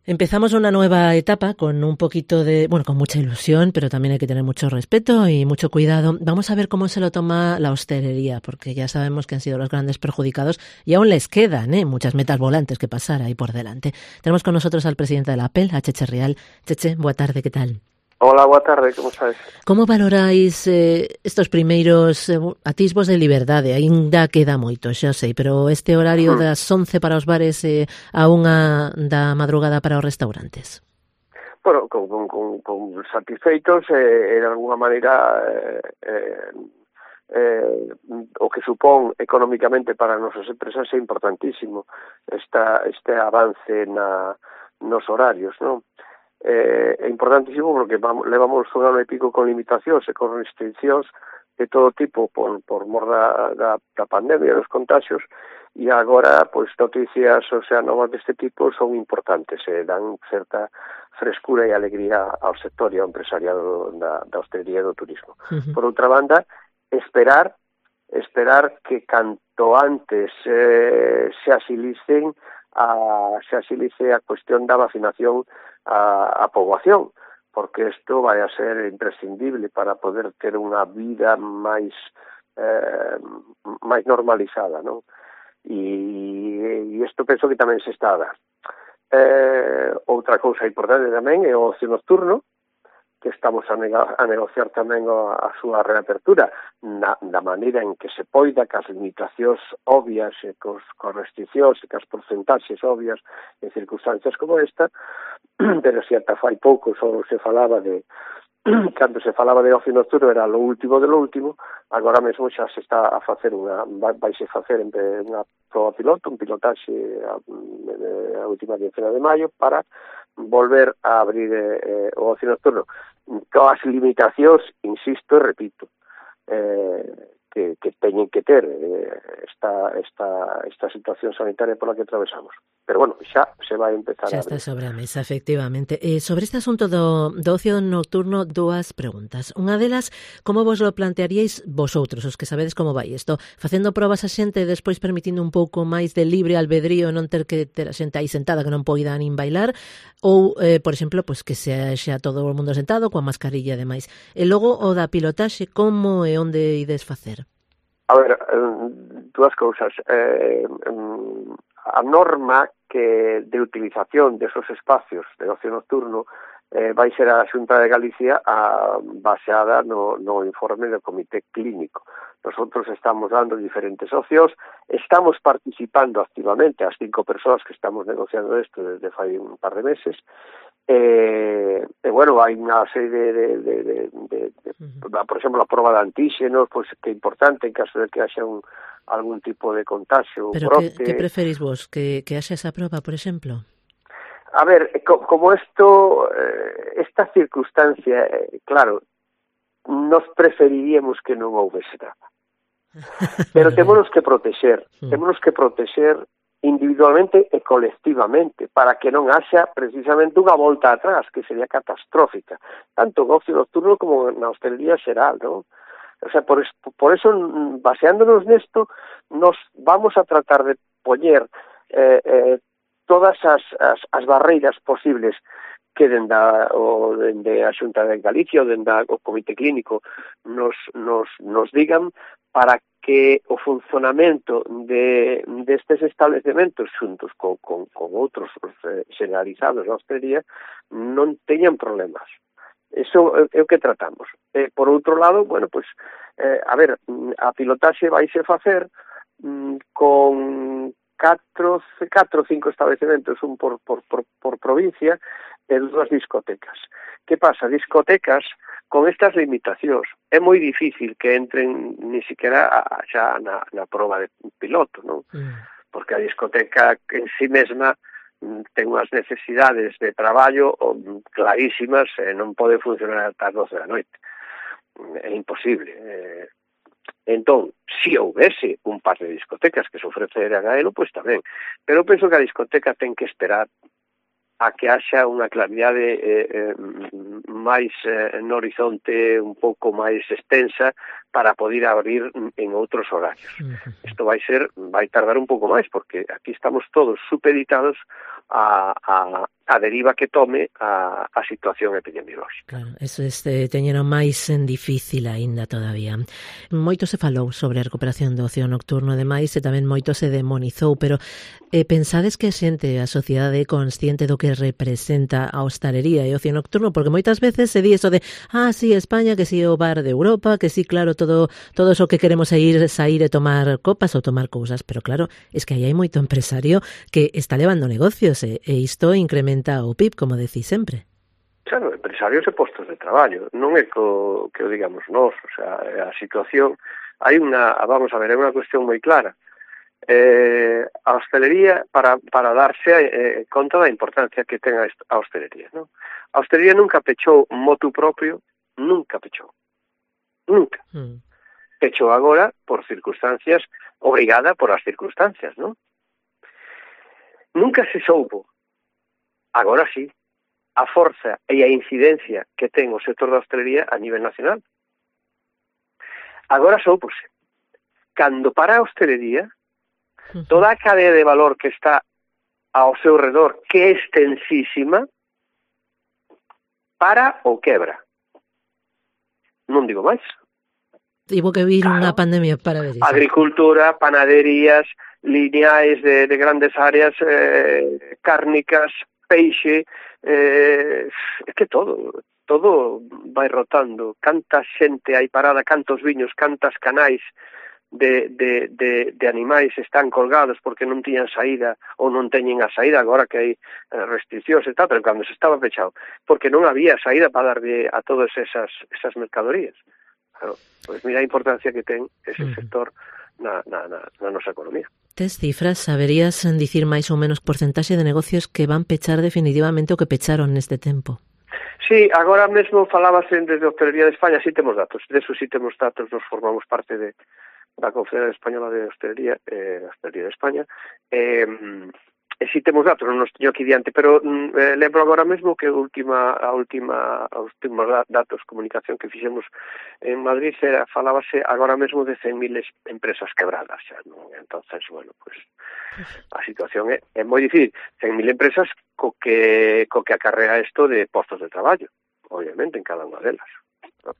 Empezamos una nueva etapa con un poquito de, bueno, con mucha ilusión, pero también hay que tener mucho respeto y mucho cuidado. Vamos a ver cómo se lo toma la hostelería, porque ya sabemos que han sido los grandes perjudicados y aún les quedan muchas metas volantes que pasar ahí por delante. Tenemos con nosotros al presidente de la APEL, a Cheche Rial. Cheche, boa tarde, ¿qué tal? Hola, boa tarde, como estás? Como valoráis estos primeiros atisbos de liberdade? Ainda queda moito, xa sei, pero este horario das 11 para os bares a 1 da madrugada para os restaurantes. Bueno, con satisfeitos de alguna maneira o que supón económicamente para as nosas empresas é importantísimo este avance nos horarios, non? É importantísimo porque levamos un ano e pico con limitacións e con restriccións de todo tipo por mor da pandemia, dos contagios, e agora, pois, noticias, novas deste tipo son importantes, dan certa frescura e alegría ao sector e ao empresariado da hostelería e do turismo. Por outra banda, esperar que canto antes se agilice a cuestión da vacinación a poboación, porque isto vai a ser imprescindible para poder ter unha vida máis normalizada, non? E isto penso que tamén se está a dar. Outra cousa importante tamén é o ocio nocturno, que estamos a negociar tamén a súa reapertura da maneira en que se poida, cas limitacións obvias e cos restriccións e cas porcentaxes obvias en circunstancias como esta, pero se ata fai pouco só se falaba de cando se falaba de ocio nocturno era lo último de lo último, agora mesmo xa se está a facer vaise facer unha proba piloto, un pilotaxe a última quincena de maio para volver a abrir o ocio nocturno coas limitacións, insisto e repito, que teñen que ter esta situación sanitaria pola que atravesamos. Pero bueno, xa se vai empezar xa a abrir. Xa está sobre a mesa, efectivamente. Sobre este asunto do ocio nocturno, dúas preguntas. Unha delas, como vos lo plantearíais vosotros, os que sabedes como vai isto? Facendo probas a xente e despois permitindo un pouco máis de libre albedrío, non ter que ter a xente aí sentada que non poida nin bailar, ou, por exemplo, pues que xa todo o mundo sentado, coa mascarilla e demais. E logo, o da pilotaxe, como e onde ides facer? A ver, dúas cousas. A norma que de utilización desos espacios de ocio nocturno vai ser a Xunta de Galicia baseada no informe do Comité Clínico. Nosotros estamos dando diferentes opcións, estamos participando activamente, as 5 persoas que estamos negociando isto desde fai un par de meses, bueno, hai unha serie por exemplo, a prova de antíxenos, pois que é importante en caso de que haxa algún tipo de contagio. Pero que preferís vos? Que haxa esa prova, por exemplo? A ver, como esta circunstancia, claro, nos preferiríamos que non houvese nada. Pero temos que protexer individualmente e colectivamente, para que non haxa precisamente unha volta atrás, que sería catastrófica, tanto en ocio nocturno como na hostelería xeral, non? O sea, por eso, baseándonos nesto, nos vamos a tratar de poñer todas as barreiras posibles que dende a Xunta de Galicia ou dende o Comité Clínico nos digan para que o funcionamento destes establecementos xuntos con outros generalizados da hostelería non teñan problemas. Eso é o que tratamos. Por outro lado, bueno, pues, a ver, a pilotaxe vaise facer con 4 ou 5 establecementos, un por provincia, e 2 discotecas. Que pasa? Discotecas con estas limitacións é moi difícil que entren ni siquiera xa na prova de piloto, non? Porque a discoteca en sí mesma ten unhas necesidades de traballo clarísimas e non pode funcionar ata as 12 da noite. É imposible. Entón, se houvese un par de discotecas que se ofreceran a elo, pois tamén. Pero penso que a discoteca ten que esperar a que haxa unha claridade máis no horizonte un pouco máis extensa para poder abrir en outros horarios. Isto vai tardar un pouco máis, porque aquí estamos todos supeditados a deriva que tome a situación epidemiolóxica. Claro, eso teñeno máis difícil aínda todavía. Moito se falou sobre a recuperación do ocio nocturno, ademais, e tamén moito se demonizou, pero pensades que a xente, a sociedade é consciente do que representa a hostalería e o ocio nocturno? Porque moitas veces se di eso de sí, España, que si o bar de Europa, que si, claro, todo eso que queremos sair e tomar copas ou tomar cousas, pero claro, es que aí hai moito empresario que está levando negocios e isto incrementa o PIB, como decís sempre. Claro, empresarios e postos de traballo, non é que o digamos nós, o sea, a situación, hai vamos a ver, é unha cuestión moi clara. A hostelería, para darse conta da importancia que ten a hostelería, non? A hostelería nunca pechou motu propio, nunca pechou. Nunca. Pechou agora por circunstancias, obrigada por as circunstancias, non? Nunca se soubo. Agora sí, a forza e a incidencia que ten o sector da hostelería a nivel nacional. Agora soupose. Cando para a hostelería, toda a cadea de valor que está ao seu redor, que é extensísima, para ou quebra. Non digo máis. Tivo que vir unha pandemia para ver iso. Agricultura, panaderías, lineais de grandes áreas, cárnicas, peixe, é que todo vai rotando. Canta xente hai parada, cantos viños, cantas canais de animais están colgados porque non tiñan saída ou non teñen a saída agora que hai restriccións e tal, pero cando se estaba pechado, porque non había saída para darlle a todas esas mercadorías. Claro, pois mira a importancia que ten ese sector na nosa economía. Tes cifras, saberías dicir máis ou menos porcentaxe de negocios que van pechar definitivamente o que pecharon neste tempo? Sí, agora mesmo falábase desde a Hostelería de España, sí temos datos, nos formamos parte da Confederación Española de Hostelería, Hostelería de España, e si temos datos, non nos teño aquí diante, pero lembro agora mesmo que os últimos datos, comunicación que fixemos en Madrid, falábase agora mesmo de 100.000 empresas quebradas xa, non? Entonces, bueno, pues a situación é moi difícil. 100.000 empresas co que acarrea isto de postos de traballo, obviamente, en cada unha delas, ¿no?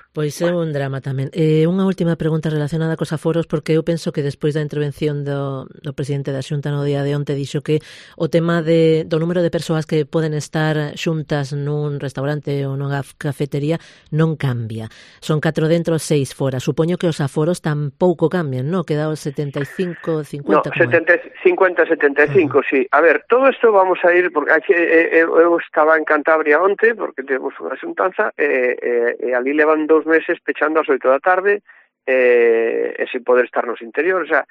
Pois é un drama tamén. Unha última pregunta relacionada cos aforos, porque eu penso que despois da intervención do presidente da Xunta no día de onte dixo que o tema do número de persoas que poden estar xuntas nun restaurante ou nunha cafetería non cambia. Son 4 dentro, 6 fora. Supoño que os aforos tampouco cambian, non? Queda os 75, 50... No, 50-75, sí. A ver, todo isto vamos a ir, porque eu estaba en Cantabria onte, porque temos unha xuntanza, e ali levan 2 meses pechando ás 8 da tarde e sin poder estar nos interiores. O sea,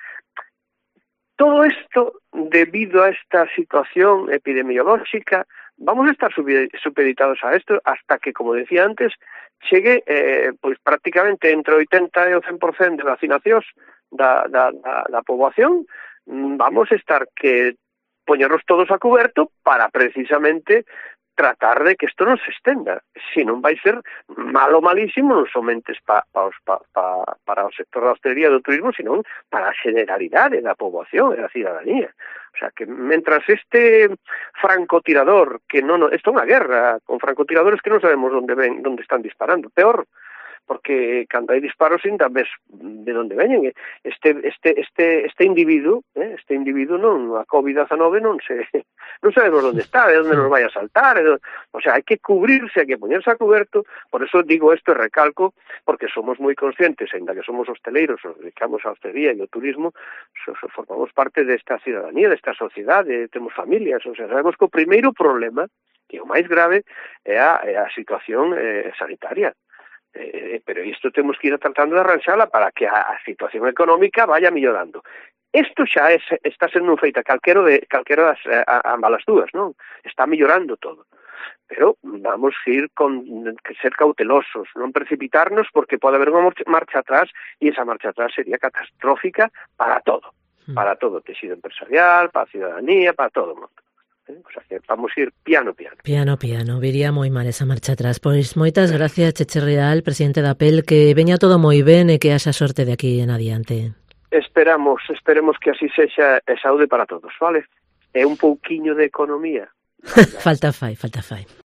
todo isto, debido a esta situación epidemiolóxica, vamos a estar supeditados a isto hasta que, como decía antes, chegue pois prácticamente entre 80 e o 100% de vacinacións da poboación. Vamos a estar que poñernos todos a coberto para precisamente tratar de que isto non se estenda, se non vai ser malísimo non somente para o sector da hostelería e do turismo, sino para a generalidade da poboación e da cidadanía. O sea, que mentras este francotirador, que isto é unha guerra con francotiradores que non sabemos onde están disparando, peor, porque cando hai disparos ainda ves de onde veñen. Este individuo, non, a COVID-19 non sabemos onde está, de onde nos vai a saltar, o sea, hai que cubrirse, hai que poñerse a coberto. Por eso digo isto e recalco, porque somos moi conscientes, ainda que somos hosteleiros, nos dedicamos a hostelería e ao turismo, formamos parte desta cidadanía, desta sociedade, temos familias, o sea, sabemos que o primeiro problema, que é o máis grave, é a situación sanitaria. Pero isto temos que ir tratando de arranxala para que a situación económica vaya mellorando. Isto xa está sendo feita calquera das ambas as dúas, non? Está mellorando todo. Pero vamos ir que ser cautelosos, non precipitarnos, porque pode haber unha marcha atrás, e esa marcha atrás sería catastrófica para todo o tecido empresarial, para a cidadanía, para todo o mundo. O sea, que vamos ir piano. Piano, viría moi mal esa marcha atrás. Pois moitas gracias, Cheche Real, presidente da APEL, que veña todo moi ben e que haxa sorte de aquí en adiante. esperamos que así sexa, e saúde para todos, vale? E un pouquiño de economía. Falta fai.